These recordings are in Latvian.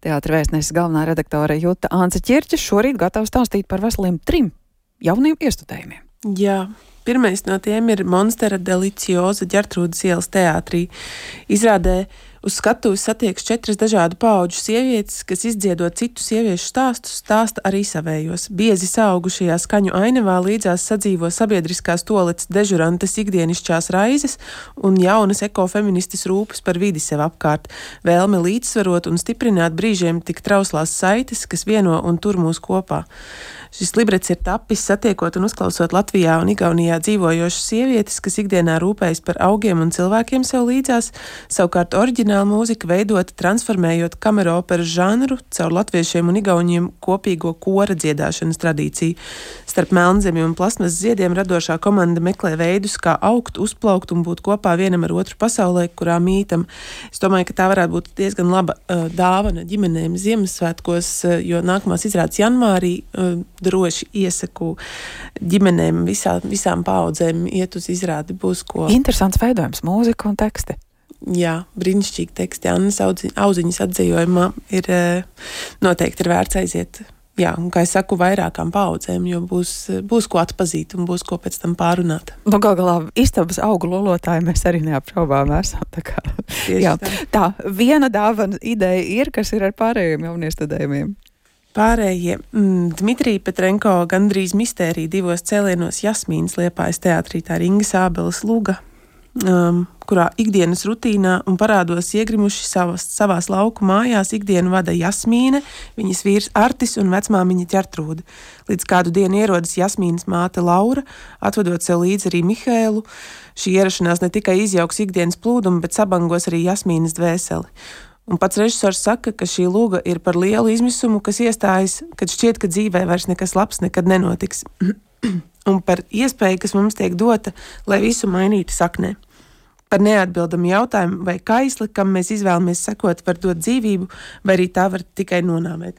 Teātra vēstneses galvenā redaktore Juta Ance Ķirķe šorīt gatava stāstīt par veseliem 3 jauniem iestudējumiem. Jā. Pirmais no tiem ir Monstera Delicioza Ģertrūdes ielas teātrī. Izrādē uz skatuves satiekas 4 dažādu paudžu sievietes, kas izdziedot citu sieviešu stāstus, stāsta arī savējos. Biezi saaugušajā skaņu ainavā līdzās sadzīvo sabiedriskās toaletes dežurantes ikdienišķās raizes un jaunas ekofeministes rūpes par vidi sev apkārt, vēlme līdzsvarot un stiprināt brīžiem tik trauslās saites, kas vieno un tur mūs kopā. Šis librets ir tapis satiekot un uzklausot Latvijā un Igaunijā dzīvojošas sievietes, kas ikdienā rūpējas par augiem un cilvēkiem sev līdzās, savukārt oriģināla mūzika veidota transformējot kameroperas žanru caur latviešiem un igauniem kopīgo kora dziedāšanas tradīciju. Starp melnzemi un plasmas ziediem radošā komanda meklē veidus, kā augt, uzplaukt un būt kopā vienam ar otru pasaulē, kurā mītam. Es domāju, ka tā varētu būt diezgan laba dāvana ģimenēm Ziemassvētkos, jo nākamās izrādes janvārī droši iesaku ģimenēm visām paaudzēm iet uz izrādi, būs ko. Interesants veidojums, mūzika un teksti. Jā, brīnišķīgi teksti. Annas Auziņas atzījumā noteikti ir vērts aiziet. Jā, un kā es saku, vairākām paaudzēm, jo būs ko atpazīt un būs ko pēc tam pārunāt. Nu, gal galā istabas augu lolotāji mēs arī neapšaubām esam. Jā. Tā, viena dāvana ideja ir, kas ir ar pārējiem jauniestudējumiem. Pārējie Dmitrija Petrenko gandrīz mistērija 2 cēlienos Jasmīnas Liepājas teātrī, tā ir Inga Sābeles Luga, kurā ikdienas rutīnā un parādos iegrimuši savās lauku mājās ikdienu vada Jasmīne, viņas vīrs Artis un vecmāmiņa Ģertrūde. Līdz kādu dienu ierodas Jasmīnas māte Laura, atvedot sev līdzi arī Mihēlu. Šī ierašanās ne tikai izjauks ikdienas plūdumu, bet sabangos arī Jasmīnas dvēseli. Un pats režisors saka, ka šī lūga ir par lielu izmisumu, kas iestājas, kad šķiet, ka dzīvē vairs nekas labs nekad nenotiks. Un par iespēju, kas mums tiek dota, lai visu mainītu saknē. Par neatbildamu jautājumu, vai kaisli, kam mēs izvēlamies sekot, var dot dzīvību, vai arī tā var tikai nonāvēt.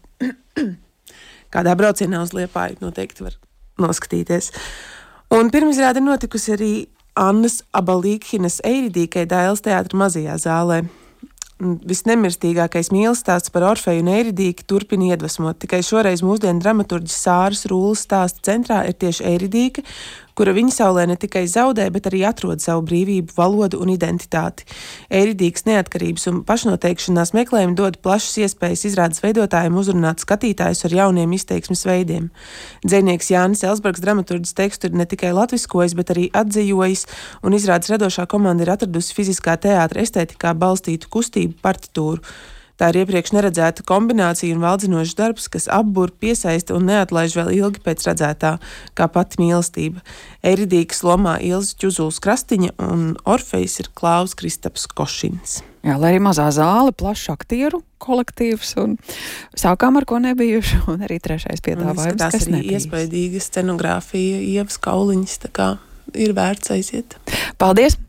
Kādā braucienā uz Liepāju noteikti var noskatīties. Un pirmizrāde notikusi arī Annas Abalīkhinas Eiridīkai Dailes teātra mazajā zālē. Visnemirstīgākais mīlestāsts par Orfeju un Eiridīki turpina iedvesmot. Tikai šoreiz mūsdienu dramaturģis Sāras Rūles stāsta centrā ir tieši Eiridīka, kura viņa saulē ne tikai zaudē, bet arī atrod savu brīvību, valodu un identitāti. Eiridīkas neatkarības un pašnoteikšanās meklējumi dod plašas iespējas izrādes veidotājiem uzrunāt skatītājus ar jauniem izteiksmes veidiem. Dzejnieks Jānis Elsbergs dramaturģis tekstu ir ne tikai latviskojis, bet arī atzījojis, un izrādes radošā komanda ir atradusi fiziskā teātra estētikā balstītu kustību partitūru. Tā ir iepriekš neredzēta kombinācija un valdzinošs darbs, kas apbur, piesaista un neatlaiž vēl ilgi pēc redzētā, kā pati mīlestība. Eiridīkas lomā Ilze Ķuzuls Krastiņa un Orfejs ir Klaus Kristaps Košins. Jā, lai arī mazā zāle, plašs aktieru kolektīvs un sākām ar ko nebijuši, un arī trešais piedāvājums, kas arī nebijis. Iespaidīga scenogrāfija, Ievas Kauliņas, tā kā ir vērts aiziet. Paldies!